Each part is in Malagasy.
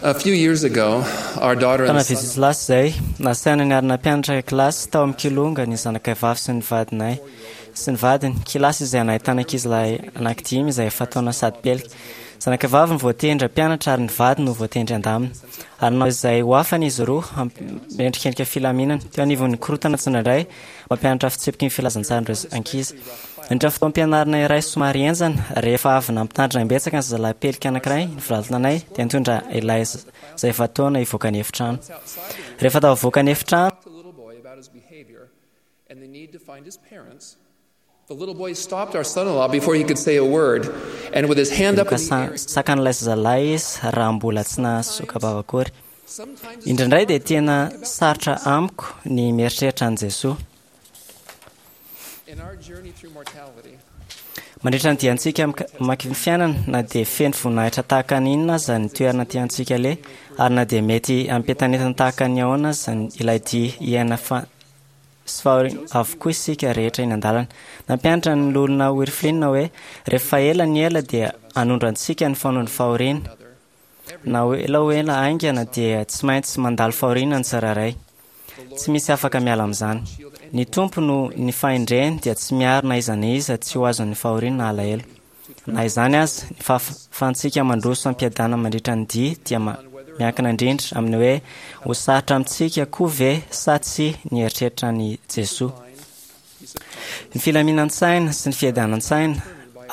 A few years ago, our daughter and Taona the son vitsivitsy lasa izay, nasaina niara-nampianatra kilasy tao amin'ny Kilonga ny zanakay vavy sy ny vadinay sy ny vadiny, kilasy izay nahitana ankizilahy anankidimy izay efa taona sady pelika. Zanakay vavy no voatendry hampianatra ary ny vadiny no voatendry handamina. Ary nanao izay ho afany izy roa hampendrikendrika filaminana teo anivon'ny korontana tsindraindray mampianatra fitsipiky ny filazantsaran'ireo ankizy. Nandritra ny fotoam-pianarana iray somary henjana, rehefa avy nampitandrina imbetsaka ny zazalahy pelika anankiray ny volalina-nay, dia nitondra ilay izay efa taona hivoaka ny efitrano. Rehefa tafavoaka ny efitrano, talked to the little boy about his behavior and the need to find his parents. The little boy stopped our son-in-law before he could say a word, and with his hand up in the air, sakan'ilay zazalahy izy raha mbola tsy nahasoka-bava akory. sometimes Indraindray dia tena sarotra amiko ny mieritreritra an'i Jesoa. in our journey through mortality, Mandritra ny diantsika mamaky ny fiainana, na dia feno voninahitra tahaka ny inona aza ny toerana tiantsika aleha, ary na dia mety hampientanentana tahaka ny ahoana aza ny- ilay dia hiaina fa sy fahoriana avokoa isika rehetra eny an-dalana. Nampianatra ny loholona Wirflin hoe rehefa ela ny ela dia hanondro antsika ny fanondro fahoriana. Na ho ela ho ela haingana dia tsy maintsy mandalo fahoriana ny tsirairay. Tsy misy afaka miala amin'izany. Ny Tompo no ny fahendreny dia tsy miaro na iza na iza tsy ho azon'ny fahoriana na alahelo. Na izany aza, ny fahafahantsika mandroso ampiadana mandritra ny dia dia ma- miankina indrindra amin'ny hoe ho sarotra amintsika koa ve sa tsy ny eritreritra an'i Jesoa. Ny filaminan-tsaina sy ny fiadanan-tsaina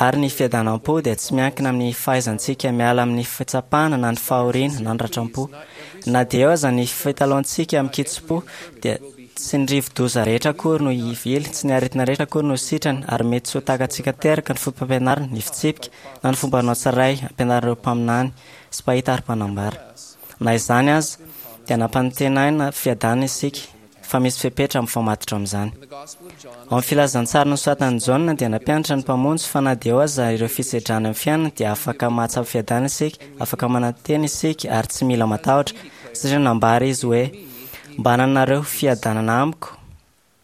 ary ny fiadanam-po dia tsy miankina amin'ny fahaizantsika miala amin'ny fitsapana na ny fahoriana na ny ratram-po. Na dia eo aza ny fitalaontsika amin-kitsim-po dia tsy ny rivo-doza rehetra akory no hivily, tsy ny aretina rehetra akory no ho sitrana ary mety tsy ho takatsika teraka ny foto-pampianarana, ny fitsipika na ny fomba hanao tsirairay ampianarin'ireo mpaminany sy mpahita ary mpanambara. Na izany aza dia nampanantenaina fiadanana isika fa misy fepetra mifamatotra amin'izany. in the Gospel of John, Ao amin'ny filazantsara nosoratan'i Jaona dia nampianatra ny Mpamonjy fa na dia eo aza ireo fisedrana amin'ny fiainana dia afaka mahatsapa fiadanana isika, afaka manantena isika ary tsy mila matahotra satria nambara izy hoe mba hananareo fiadanana amiko.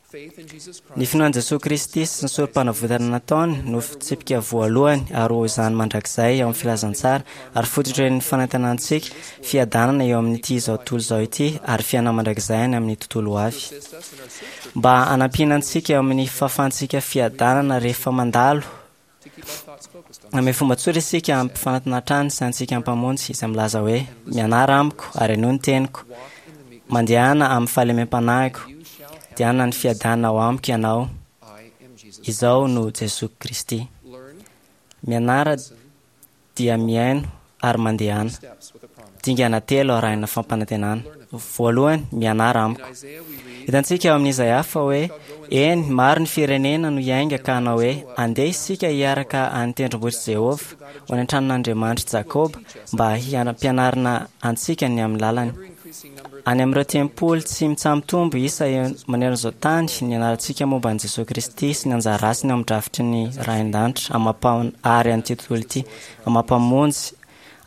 faith in Jesus Ny Christ, finoan'i Jesoa Kristy sy ny sorom-panavotana nataony no fitsipika voalohany ary ho izany mandrakizay ao amin'ny filazantsara ary fototry ny fanantenantsika fiadanana eo amin'ity izao tontolo izao ity ary fiainana mandrakizay any amin'ny tontolo ho avy. assist us in our search Mba hanampiana antsika eo amin'ny fahafahantsika fiadanana rehefa mandalo to keep our thoughts focused on amin'ny fomba tsotra isika hampifanatona hatrany sy antsika mpamonjy izay milaza hoe mianara amiko ary henoy ny teniko walk in the meekness. mandehana amin'ny fahalemem-panahiko You shall have dia hanana ny fiadanana ao amiko ianao I am Jesus. izao no Jesoa Kristy. Learn Mianara dia mihaino ary mandehana. steps with a promise. Dingana telo arahina fampanantenana. Voalohany, mianara In amiko. Isaiah we read, Hitantsika ao amin'ny Izaia fa hoe eny maro ny firenena no hiainga ka hanao hoe andeha isika hiaraka any tendrombohitr'i Jehovah ho any an-tranon'Andriamanitr'i Jakoba mba hianam-pianarana antsika ny amin'ny lalany. ever increasing number Any amin'ireo tempoly tsy mitsaha-mitombo isa eo manerana izao tany ny anarantsika momba an'i Jesoa Kristy sy ny anjara asany ao amin'ny drafitry ny Ray an-danitra amam-pa- ary an'ity tontolo ity amam-pamonjy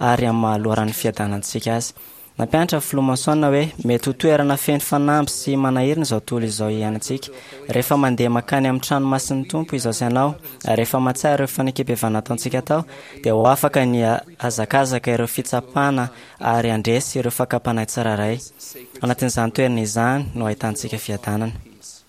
ary amin'ny maha loharan'ny fiadanantsika azy. Nampianatra ny filoha Monson hoe mety ho toerana feno fanamby sy manahirana izao tontolo izao iainantsika. Rehefa mandeha mankany amin'ny trano masin'ny Tompo izao sy ianao, ary rehefa mahatsiaro ireo fanekempihavanana ataontsika tao, dia ho afaka ny hazakazaka ireo fitsapana ary handresy ireo fakam-panahy tsirairay. Anatin'izany toerana izany no ahitantsika fiadanana. peace.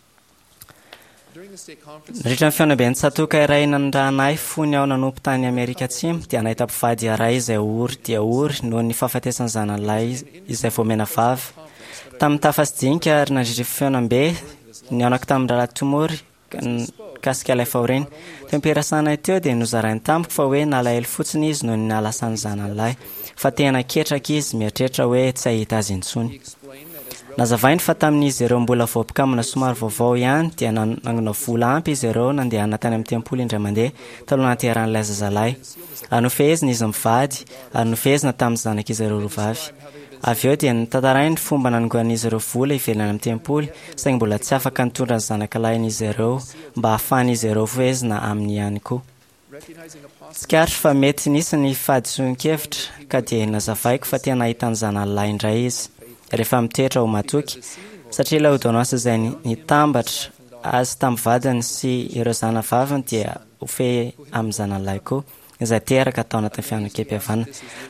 During the state conference, Nandritra ny fihaonamben'ny tsatoka iray nanondrahana ahy fony aho nanompo tany Amerika Atsimo dia nahita mpivady iray izay ory dia ory noho ny fahafatesan'ny zanany lahy izay voamena vava. Tamin'ny tafa sy dinika ary nandritra ny fihaonambe nihaonako tamin'ny rahalahy Tomory mikasika ilay fahoriana. Teo am-pirasana teo dia nozarainy tamiko fa hoe nalahelo fotsiny izy noho ny nahalasan'ny zanany lahy fa tena ketraka izy mieritreritra hoe tsy hahita azy intsony. he explained that as Nazavainy fa tamin'izy ireo mbola vao mpikambana somary vaovao ihany dia nanangona vola ampy izy ireo nandehana tany amin'ny tempoly indray mandeha taloha nahaterahan'ilay zazalahy. Ary nofehezina izy mivady ary nofehezina tamin'ny zanak'izy ireo roa vavy. Avy eo dia notantarainy ny fomba nanongan'izy ireo vola ivelany amin'ny tempoly saingy mbola tsy afaka nitondra ny zanakalahin'izy ireo mba hahafahan'izy ireo fehezina aminy ihany koa. recognizing a possible Tsikaritra fa mety nisy ny fahadisoan-kevitra ka dia nazavaiko fa tena hahita ny zanany lahy indray izy rehefa mitoetra ho matoky satria ilay ordonnance izay nitambatra azy tamin'ny vadiny sy ireo zanavaviny dia ho fehy amin'ny zanany lahy koa. izay teraka tao anatin'ny fianakam-pihavanana.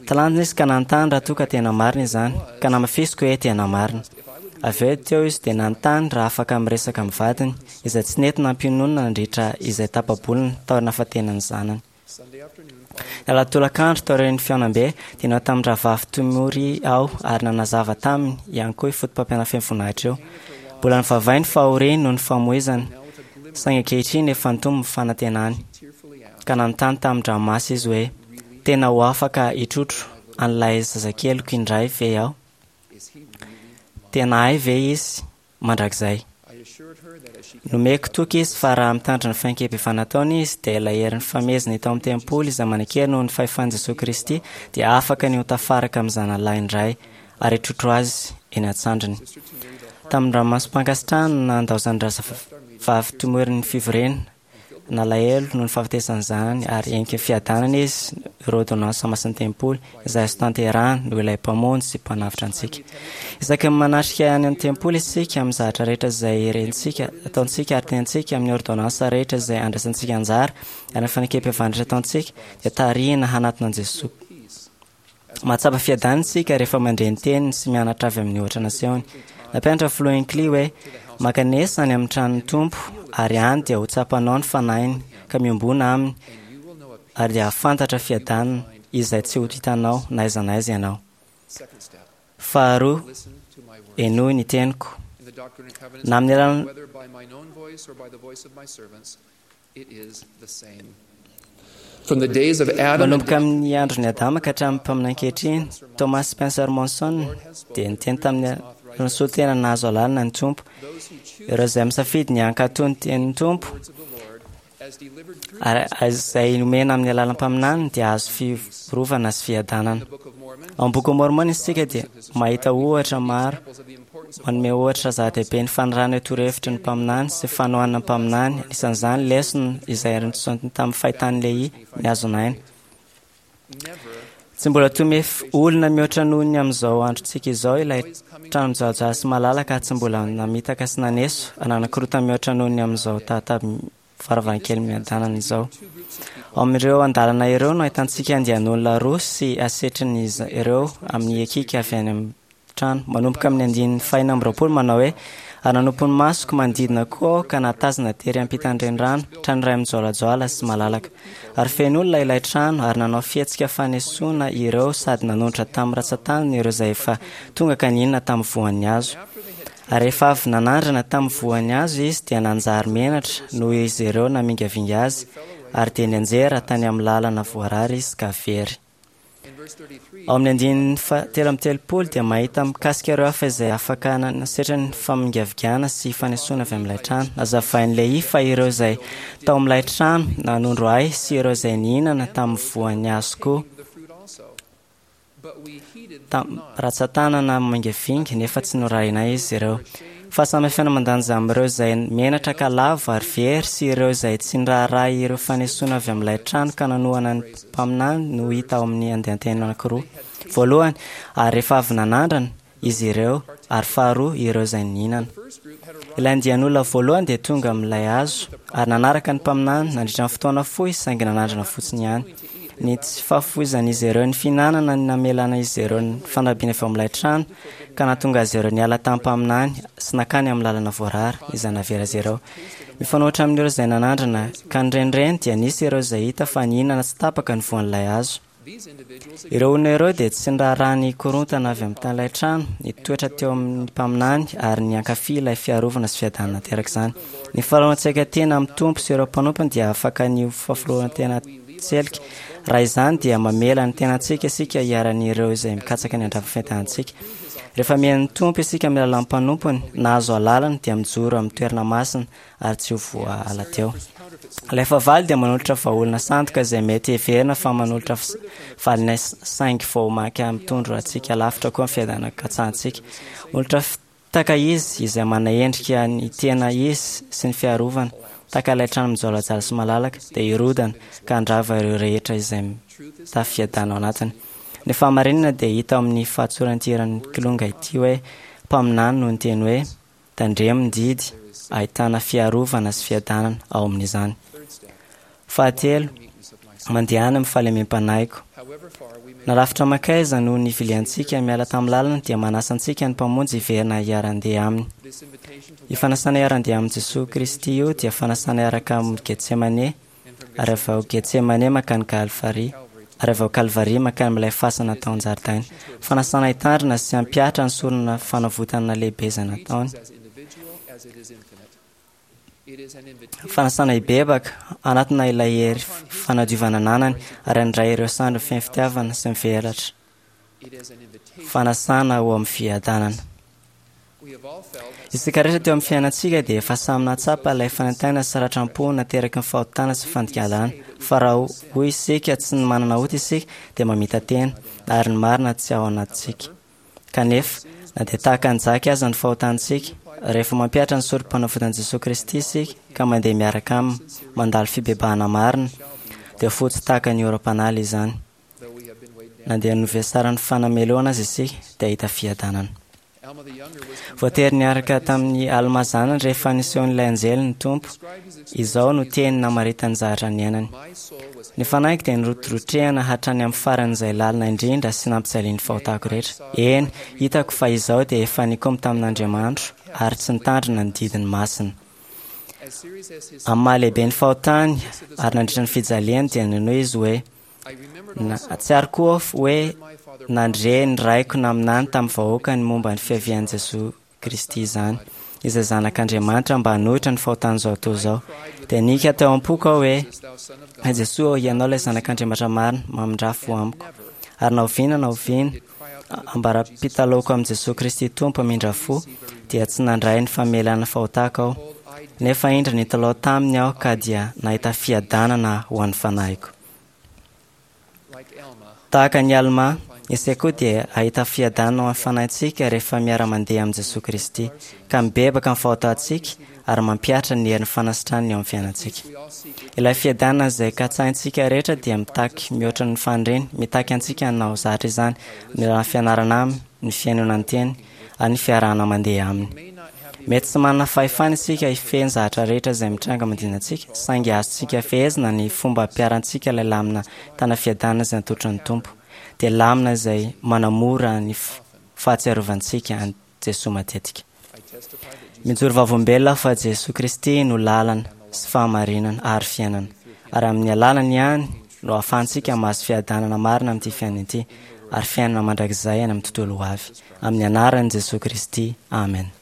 Talanjona izy ka nanontany raha toa ka tena marina izany, ka namafisiko hoe tena marina. Avy eo teo izy dia nanontany raha afaka miresaka amin'ny vadiny, izay tsy nety nampiononina nandritra izay tapa-bolana taorian'ny nahafatenan'ny zanany. Ny alahady-tolakandro taorian'ny fihaonambe dia nihaona tamin'ny rahavavy Tomori aho ary nanazava taminy ihany koa io fotopampianarana feno voninahitra io. Mbola nivavay ny fahoriany noho ny famoizana, saingy ankehitriny efa nitombo ny fanantenany. Ka nanontany tamin-dranomaso izy hoe, Tena ho afaka hitrotro an'ilay zazakeliko indray ve aho? Tena ahy ve izy mandrakizay? Nomeko toky izy fa raha mitandrina ny fanekem-pivavahana ataony izy, dia ilay herin'ny famehezana hita ao amin'ny tempoly izay manan-kery noho ny fahefan'i Jesoa Kristy dia afaka ny ho tafaraka amin'ny zanany lahy indray ary hitrotro azy eny an-tsandriny. Tamin'ny ranomasom-pankasitrahana no nandaozan'ny razavavy Tomory ny fivoriana, Nalahelo noho ny fahafatesan'ny zanany ary henika fiadanana izy ireo ôrdônansa masin'ny tempoly izay azo tanterahana noho ilay Mpamonjy sy Mpanavotra antsika. Isaky ny manatrika any amin'ny tempoly isika amin'ny zavatra rehetra izay rentsika, ataontsika ary tenentsika, amin'ny ôrdônansa rehetra izay andraisantsika anjara ary ny fanekempihavanana rehetra ataontsika dia tarihina hanatona an'i Jesoa. Mahatsapa fiadanana isika rehefa mandre ny teniny sy mianatra avy amin'ny ohatra nasehony. Nampianatra ny Filoha Hinckley hoe, Mankanesa any amin'ny tranon'ny Tompo, ary any dia ho tsapanao ny Fanahiny, ka miombòna Aminy, ary dia hahafantatra fiadanana izay tsy ho hitanao na aiza na aiza ianao. Faharoa, henoy ny teniko. Na amin'ny alalan'ny. Manomboka amin'ny andron'i Adama ka hatramin'ny mpaminany ankehitriny, Thomas Spencer Monson dia niteny tamin'ny nisolo tena nahazo alalana ny Tompo. Ireo izay misafidy ny hankatò ny tenin'ny Tompo ary izay nomena amin'ny alalan'ny mpaminany dia hahazo fiarovana sy fiadanana. Ao amin'ny Bokin'i Môrmôna isika dia mahita ohatra maro Manome ohatra zava-dehibe ny fanarahana io torohevitry ny mpaminany sy fanohanana ny mpaminany, anisan'izany lesona izay notsoahiny tamin'ny fahitan'i Lehia ny hazon'aina. Tsy mbola tomefy olona mihoatra noho ny amin'izao androntsika izao ilay trano mijahojaho sy malalaka ary tsy mbola namitaka sy naneso na nanakorontana mihoatra noho ny amin'izao tahatabo varavarankely miadanana izao. Ao amin'ireo andalana ireo no ahitantsika andian'olona roa sy asetrin'izy ireo amin'ny hiakiaka avy any amin'ny trano. Manomboka amin'ny andininy fahenina amby 20 manao hoe, Ary nanompo ny masoko manodidina koa aho ka nahatazana tery ampitan'ny renirano, trano iray mijoalajoala sy malalaka. Ary feno olona ilay trano, ary nanao fihetsika fanesoana ireo sady nanonitra tamin'ny rantsantanany ireo izay efa tonga ka nihinana tamin'ny voan'ny hazo. Ary rehefa avy nanandrana tamin'ny voan'ny hazo izy dia nanjary menatra noho izy ireo namingavinga azy, ary dia nianjera tany amin'ny lalana voarara izy ka very. Ao amin'ny andininy faha-33 dia mahita mikasika ireo hafa izay afaka nasetra ny famingavigana sy fanesoana avy amin'ilay trano. Nazavain'i Lehia fa ireo izay tao amin'ilay trano nanondro ahy sy ireo izay nihinana tamin'ny voan'ny hazo koa Ratsan-tanana mangavinga nefa tsy norahina izy ireo. Fahasamihafana mandanja amin'ireo izay menatra ka lavo ary very sy ireo izay tsy niraharaha ireo fanesoana avy amin'ilay trano ka nanohana ny mpaminany no hita ao amin'ny andian-teny anankiroa. Voalohany, ary rehefa avy nanandrana, izy ireo, ary faharoa, ireo izay nihinana. Ilay andian'olona voalohany dia tonga amin'ilay hazo ary nanaraka ny mpaminany nandritra ny fotoana fohy saingy nanandrana fotsiny ihany. Ny tsy fahafoizan'izy ireo ny fihinanana ny namelana izy ireo ny fanampiana avy ao amin'ilay trano ka nahatonga azy ireo niala tamin'ny mpaminany sy nankany amin'ny lalana voarara izay navela azy ireo. Mifanohitra amin'ireo izay nanandrana ka nirenireny dia nisy ireo izay hita fa nihinana tsy tapaka ny voan'ilay hazo. Ireo olona ireo dia tsy niraharaha ny korontana avy amin'ny tanin'ilay trano, nitoetra teo amin'ny mpaminany ary niankafy ilay fiarovana sy fiadanana naterak'izany. Ny fanoloran-tsaika tena amin'ny Tompo sy ireo mpanompony dia afaka ny ho fahafolonana tselika. Raha izany dia mamela ny tenantsika isika hiharan'ireo izay mikatsaka ny handrava fiadanantsika. Rehefa mihaino ny Tompo isika amin'ny alalan'ny mpanompony, nahazo alalana, dia mijoro amin'ny toerana masina ary tsy ho voaala teo. Ilay fahavalo dia manolotra vahaolana sandoka izay mety heverina fa manolotra valiny saingy vao mainka mitondra antsika lavitra koa ny fiadanana katsahantsika. Manolotra fitaka izy izay manaendrika ny tena izy sy ny fiarovana, tahaka ilay trano mijoalajoala sy malalaka, dia hirodana ka handrava ireo rehetra izay mitafy fiadanana ao anatiny. Ny fahamarinana dia hita ao amin'ny fahatsoran'ity hiran'ny Kilonga ity hoe, Mpaminany no niteny hoe, Tandremo ny didy, ahitana fiarovana sy fiadanana ao amin'izany. Fahatelo, Mandehana amin'ny fahalemem-panahiko. Na lavitra mankaiza no niviliantsika miala tamin'ny lalana dia manasa antsika ny Mpamonjy hiverina hiara-handeha Aminy. Io fanasana hiara-handeha amin'i Jesoa Kristy io dia fanasana hiaraka amin'ny Getsemane ary avy ao Getsemane mankany Kalvary ary avy ao Kalvary mankany amin'ilay fasana tao an-jaridaina. Fanasana hitandrina sy hampihatra ny sorona fanavotana lehibe izay nataony. Fanasana hibebaka, hanatona ilay hery fanadiovana ananany ary handray ireo sandry feno fitiavana sy mivelatra. Fanasana ho amin'ny fiadanana. Isika rehetra teo amin'ny fiainantsika dia efa samy nahatsapa ilay fanaintainana sy ratram-po nateraky ny fahotana sy fandikan-dalàna. Fa raha hoy isika tsy ny manana ota isika dia mamita-tena ary ny marina tsy ao anatintsika. Kanefa, na dia tahaka an'i Jaky aza ny fahotantsika, rehefa mampihatra ny Sorompanavotan'i Jesoa Kristy isika ka mandeha miaraka Aminy, mandalo fibebahana marina, dia fotsy tahaka ny oram-panala izany. Na dia novesaran'ny fanamelohana aza isika, dia hahita fiadanana. Voatery niaraka tamin'i Almà zanany rehefa nisehoan'ilay anjely ny Tompo. Izao no teny namaritany zavatra niainany. Ny fanahiko dia nirotrotrehana hatrany amin'ny faran'izay lalina indrindra sy nampijalian'ny fahotako rehetra. Eny, hitako fa izaho dia efa nikomy tamin'Andriamanitro ary tsy nitandrina ny didiny masina. Amin'ny maha-lehibe ny fahotany ary nandritra ny fijaliany dia ninoa izy hoe, Nahatsiaro koa aho hoe nandre ny raiko naminany tamin'ny vahoaka ny momba ny fiavian'i Jesoa Kristy izany, izay Zanak'Andriamanitra mba hanohitra ny fahotan'izao tontolo izao. Dia nihiaka teo am-poko aho hoe, Ry Jesoa ô, Ianao ilay Zanak'Andriamanitra marina, mamindrà fo amiko. Ary na oviana na oviana, ambara-pitalaoko amin'i Jesoa Kristy Tompo hamindra fo, dia tsy nandray ny famelana fahotako aho. Nefa indro nitalaho taminy aho ka dia nahita fiadanana ho an'ny fanahiko. Tahaka an'i Almà, isika koa dia hahita fiadanana ho an'ny fanahintsika rehefa miara-mandeha amin'i Jesoa Kristy, ka mibebaka amin'ny fahotantsika ary mampihatra ny herin'ny fanasitranany eo amin'ny fiainantsika. Ilay fiadanana izay katsahintsika rehetra dia mitaky mihoatra ny faniriana, mitaky antsika hanao zatra izany amin'ny alalan'ny fianarana Aminy, ny fihainoana ny Teniny, ary ny fiarahana mandeha Aminy. Mety tsy manana fahefana isika hifehy ny zavatra rehetra izay mitranga manodidina antsika, saingy azontsika fehezina ny fomba ampiharantsika ilay lamina tana fiadanana izay natolotry ny Tompo, dia lamina izay manamora ny fahatsiarovantsika an'i Jesoa matetika. Mijoro vavolombelona aho fa Jesoa Kristy no lalana sy fahamarinana ary fiainana, ary amin'ny alalany ihany no ahafahantsika mahazo fiadanana marina amin'ity fiainana ity ary fiainana mandrakizay any amin'ny tontolo ho avy. Amin'ny anaran'i Jesoa Kristy, amen.